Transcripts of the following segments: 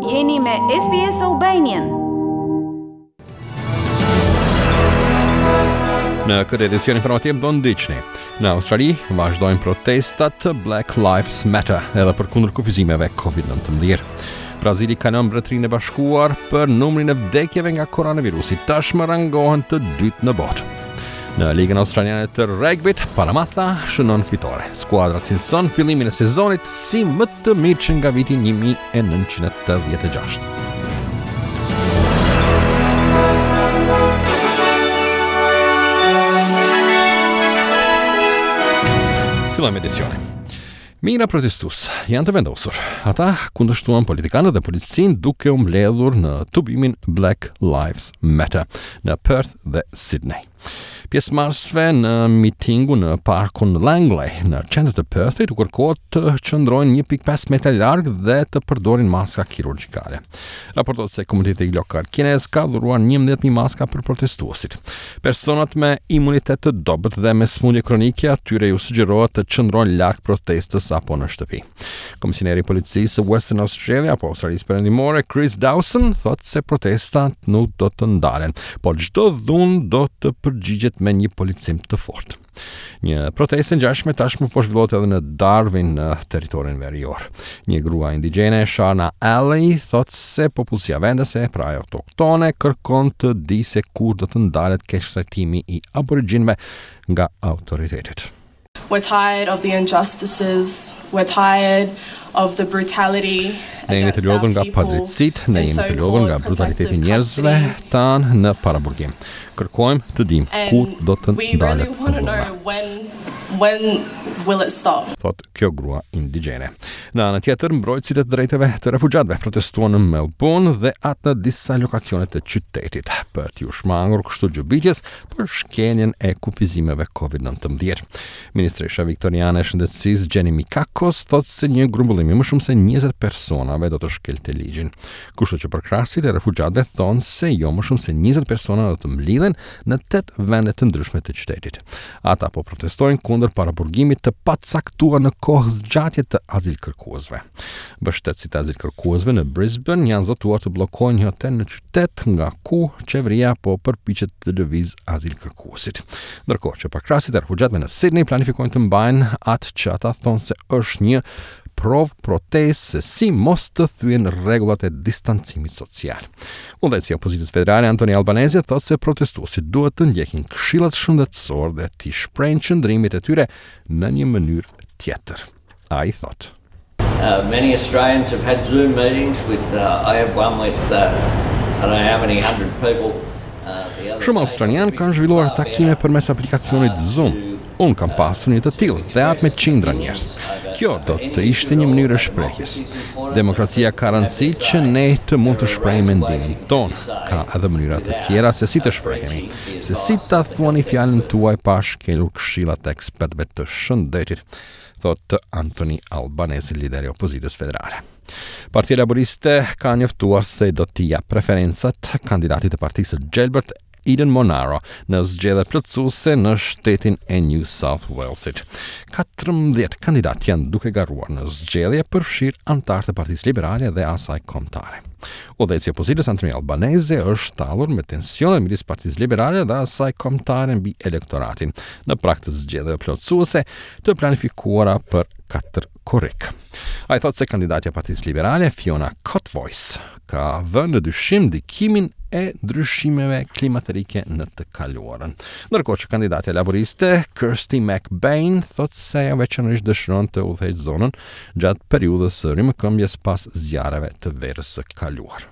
Jeni me SBS Albanian. Në këtë edicion informativ do ndiqni. Në Australi vazhdojnë protestat Black Lives Matter edhe përkundër kufizimeve COVID-19. Brazili kalon Mbretërinë e Bashkuar për numrin e vdekjeve nga koronavirusi, tashmë rangohen të dytë në botë. Në Ligën Australiane të Regbit, Parramatta shënon fitore. Skuadra cilëson fillimin e sezonit si më të mirë që nga viti 1986. Fillojmë edicionin. Mijëra protestues janë të vendosur. Ata kundërshtuan politikanët dhe policinë duke u mbledhur në tubimin Black Lives Matter në Perth dhe Sydney. Pjesëmarrësve në mitingun në parkun Langley në qendër të Perthit u kërkohet të qëndrojnë 1.5 metra larg dhe të përdorin maska kirurgjikale. Raportohet se komuniteti lokal kinez ka dhuruar 11.000 maska për protestuesit. Personat me imunitet të dobët dhe me sëmundje kronike atyre ju sugjerohet të qëndrojnë larg protestës apo në shtëpi. Komisioneri i policisë së Western Australia apo Australisë Perëndimore, Chris Dawson, thotë se protestat nuk do të ndalen, por çdo dhunë do të përgjigjet me një policim të fortë. Një protestë e ngjashme tashmë po zhvillohet edhe në Darwin në territorin verior. Një grua indigjene, Sharna Alley, thotë se popullsia vendase, pra ajo autoktone, kërkon të di se kur do të ndalet keqtrajtimi i aborigjinëve nga autoritetet. We're tired of the injustices, we're tired of the brutality Ne jemi të lodhur nga padrejtësitë, ne jemi të lodhur nga brutaliteti i njerëzve tanë në paraburgim. Kërkojmë të dimë kur do të ndalet dhuna. When will it stop? Thotë kjo grua indigjene. Në anën tjetër, mbrojtësit e të drejtave të refugjatëve protestuan në Melbourne dhe atë në disa lokacione të qytetit për t'iu shmangur kështu gjobitjes për shkeljen e kufizimeve COVID-19. Ministresha viktoriane e Shëndetësisë Jenny Mikakos thotë se një grumbullim i më shumë se 20 personave do të shkelte ligjin. Kështu që përkrahësit e refugjatëve thonë se jo më shumë se 20 persona do të mblidhen në 8 vende të ndryshme të qytetit. Ata po protestojnë kundër paraburgimit të pacaktuar në kohëzgjatje të azilkërkuesve. Mbështetësit e azilkërkuesve në Brisbane janë zotuar të bllokojnë një hotel në qytet nga ku qeveria po përpiqet të lëvizë azilkërkuesit. Ndërkohë që përkrahësit e refugjatëve në Sydney planifikojnë të mbajnë atë që ata thonë se është një provë protestë se si mos të thyejnë rregullat e distancimit social. Udhëheqësi i opozitës federale Anthony Albanese thotë se protestuesit duhet të ndjekin këshillat shëndetësorë dhe t'i shprehin qëndrimet e tyre në një mënyrë tjetër. Ai thotë. Uh, many Australians have had Zoom meetings with, uh, I have one with, uh, I don't know how many hundred people. Uh, Shumë australianë kanë zhvilluar takime përmes aplikacionit Zoom. Unë kam pasur një të tillë dhe atë me qindra njerëz. Kjo do të ishte një mënyrë e shprehjes. Demokracia ka rëndësi që ne të mund të shprehim mendimin tonë. Ka edhe mënyra të tjera se si të shprehemi, se si ta thuani fjalën tuaj pa shkelur këshillat e ekspertëve të shëndetit. thotë Anthony Albanese, lideri i opozitës federale. Partia Laboriste ka njoftuar se do t'i japë preferencat kandidatit të Partisë së Gjelbërt Eden Monaro në zgjedhjet plotësuese në shtetin e New South Walesit. 14 kandidatë janë duke garuar në zgjedhje, përfshirë anëtarë të Partisë Liberale dhe asaj kombëtare. Udhëheqësi i opozitës Anthony Albanese është tallur me tensionet midis Partisë Liberale dhe asaj kombëtare mbi elektoratin në prag të zgjedhjeve plotësuese të planifikuara për 4 korrik. Ai thotë se kandidatja e Partisë Liberale, Fiona Kotvojs, ka vënë në dyshim ndikimin e ndryshimeve klimaterike në të kaluarën. Ndërkohë që kandidatja laboriste Kirsty McBain thotë se ajo veçanërisht dëshiron të udhëheqë zonën gjatë periudhës së rimëkëmbjes pas zjarreve të verës së kaluar.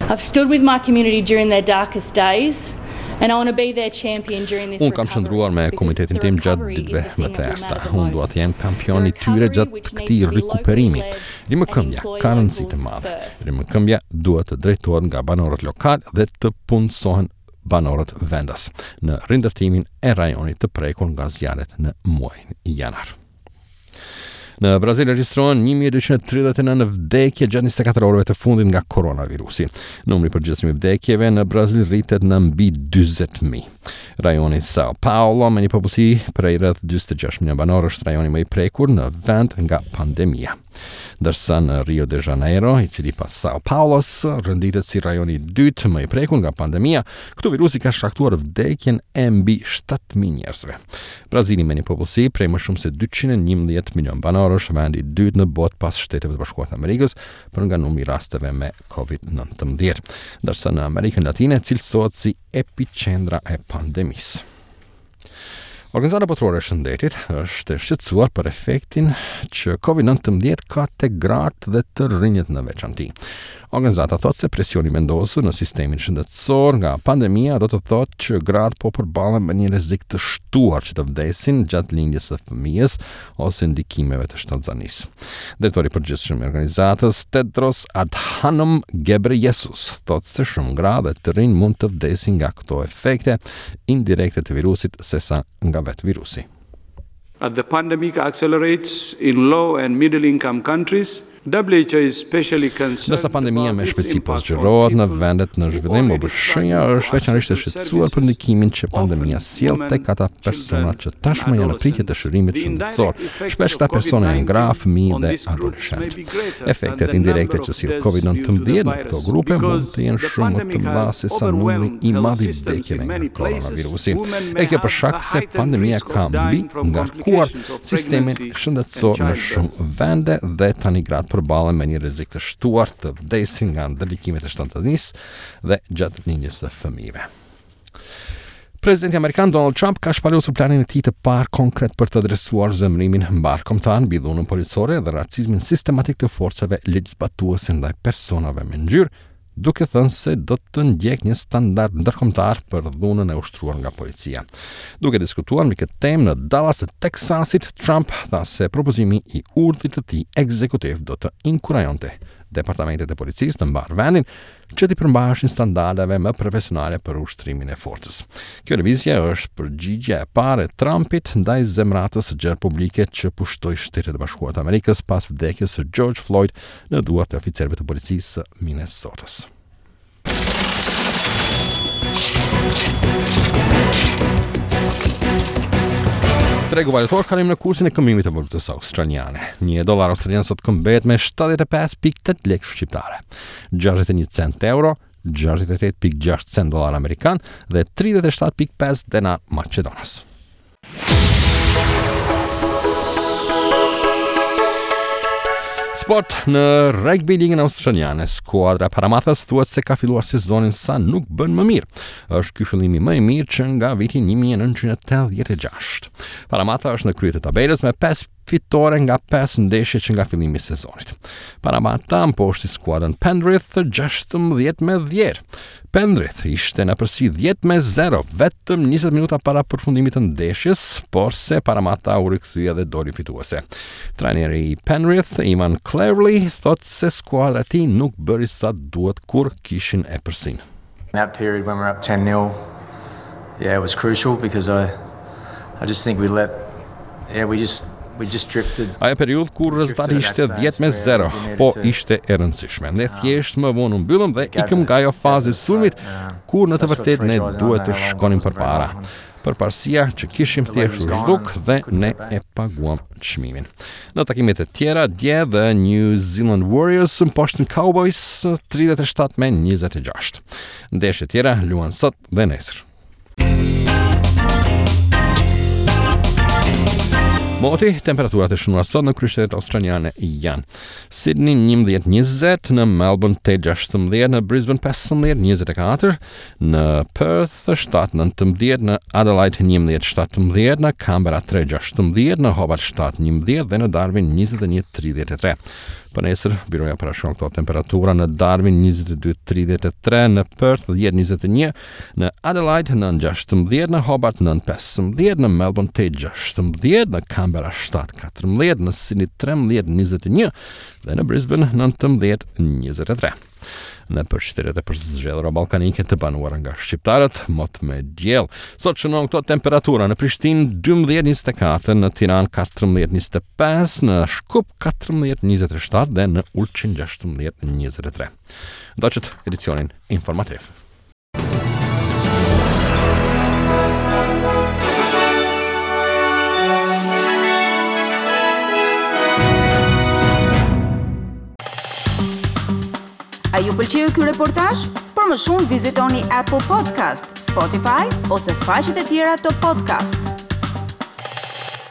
I've stood with my community during their darkest days and I want to be their champion during this Unë kam qëndruar me komunitetin tim gjatë ditëve më të errëta. Unë dua të jem kampion i tyre gjatë këtij rikuperimi. Rimëkëmbja ka rëndësi të madhe. Rimëkëmbja duhet të drejtohet nga banorët lokalë dhe të punësohen banorët vendas në rindërtimin e rajonit të prekur nga zjarret në muajin janar. Në Brazil regjistrohen 1239 vdekje gjatë 24 orëve të fundit nga koronavirusi. Numri i përgjithshëm i vdekjeve në Brazil rritet në mbi 40000. Rajoni Sao Paulo me një popullsi prej rreth 46 milion banorë është rajoni më i prekur në vend nga pandemia. Ndërsa në Rio de Janeiro, i cili pas Sao Paulos renditet si rajoni i dytë më i prekur nga pandemia, këtu virusi ka shkaktuar vdekjen e mbi 7000 njerëzve. Brazili me një popullsi prej më shumë se 211 milion banorësh, vendi i dytë në botë pas Shteteve të Bashkuara të Amerikës për nga numri i rasteve me COVID-19. Ndërsa në Amerikën Latine cilësohet si epiqendra e pandemisë. Organizata Botërore e Shëndetit është e shqetësuar për efektin që COVID-19 ka te gratë dhe të rinjët në veçanti. Organizata thotë se presioni i vendosur në sistemin shëndetësor nga pandemia do të thotë që gratë po përballen me një rrezik të shtuar që të vdesin gjatë lindjes së fëmijës ose ndikimeve të shtatzanisë. Drejtori i përgjithshëm i organizatës Tedros Adhanom Ghebreyesus thotë se shumë gra dhe të rinj mund të vdesin nga këto efekte indirekte të virusit sesa nga vetë virusi. As the pandemic accelerates in low and middle income countries, WHO is especially concerned Ndërsa pandemia me shpejtësi po zgjerohet në vendet në zhvillim, OBSH-ja është veçanërisht e shqetësuar për ndikimin që pandemia sjell tek ata persona që tashmë janë në pritje të shërimit shëndetësor. Shpesh këta persona janë gra, fëmijë dhe adoleshentë. Efektet indirekte që sjell COVID-19 në këto grupe mund të jenë shumë më të mëdha se sa numri i madh i vdekjeve nga koronavirusi. E kjo për shkak se pandemia ka mbingarkuar sistemin shëndetësor në shumë vende dhe tani gratë përballen me një rrezik të shtuar të vdesin nga ndërlikimet e shtatzënisë dhe gjatë lindjes së fëmijëve. Presidenti amerikan Donald Trump ka shpalosur planin e tij të parë konkret për të adresuar zemërimin mbarëkombëtar mbi dhunën policore dhe racizmin sistematik të forcave ligjzbatuese ndaj personave me ngjyrë, duke thënë se do të ndjekë një standard ndërkombëtar për dhunën e ushtruar nga policia. Duke diskutuar mbi këtë temë në Dallas të Texasit, Trump tha se propozimi i urdhrit të tij ekzekutiv do të inkurajonte departamentet e policisë në mbarë vendin që t'i përmbaheshin standardeve më profesionale për ushtrimin e forcës. Kjo lëvizje është përgjigja e parë e Trumpit ndaj zemratës së gjerë publike që pushtoi Shtetet e Bashkuara të Amerikës pas vdekjes së George Floyd në duart e oficerëve të policisë së Minnesotës. Tregu valutor kalim në kursin e këmbimit të valutës australiane. Një dollar australian sot këmbehet me 75.8 lekë shqiptare. 61 cent euro, 68.6 cent dollar amerikan dhe 37.5 denar maqedonas. Sport në rugby ligën australiane, skuadra e Parramattës thuhet se ka filluar sezonin sa nuk bën më mirë. Është ky fillimi më i mirë që nga viti 1986. Parramatta është në krye të tabelës me 5 fitore nga 5 ndeshje që nga fillimi i sezonit. Parramatta mposhti skuadrën Penrith 16 me 10. Penrith ishte në epërsi 10 me 0 vetëm 20 minuta para përfundimit të ndeshjes, porse Parramatta u rikthye dhe doli fituese. Trajneri i Penrith, Ivan Cleverly, thotë se skuadra e tij nuk bëri sa duhet kur kishin epërsinë. That period when we're up 10-0, yeah, it was crucial because I I just think we let yeah, we just we just drifted. Ajo periudhë kur rezultati ishte 10 me 0, po ishte e rëndësishme. Ne thjesht më vonë u mbyllëm dhe ikëm nga ajo fazë e sulmit kur në të vërtetë ne duhet të shkonim përpara. Përparësia që kishim thjesht u zhduk dhe ne e paguam çmimin. Në takimet e tjera dje The New Zealand Warriors mposhtën Cowboys 37 me 26. Ndeshjet e tjera luhen sot dhe nesër. Moti, temperaturat e shënuara sot në kryeqytetet australiane janë Sydney 11-20, në Melbourne 8-16, në Brisbane 15-24, në Perth 7-19, në Adelaide 11-17, në Canberra 3-16, në Hobart 7-11 dhe në Darwin 21-33. Për nesër, byroja parashikon këto temperatura në Darwin 22-33, në Perth 10-21, në Adelaide 9-16, në Hobart 9-15, në Melbourne 8-16, në Canberra 7-14, në Sydney 13-21 dhe në Brisbane 19-23. Nëpër shtetet e përzgjedhura ballkanike të banuara nga shqiptarët, mot me diell. Sot shënohen këto temperatura në Prishtinë 12.24, në Tiranë 14.25, në Shkup 14.27 dhe në Ulqin 16.23. Ndoqët edicionin informativ. A ju pëlqeu ky reportazh? Për më shumë vizitoni Apple Podcast, Spotify ose faqet e tjera të podcast.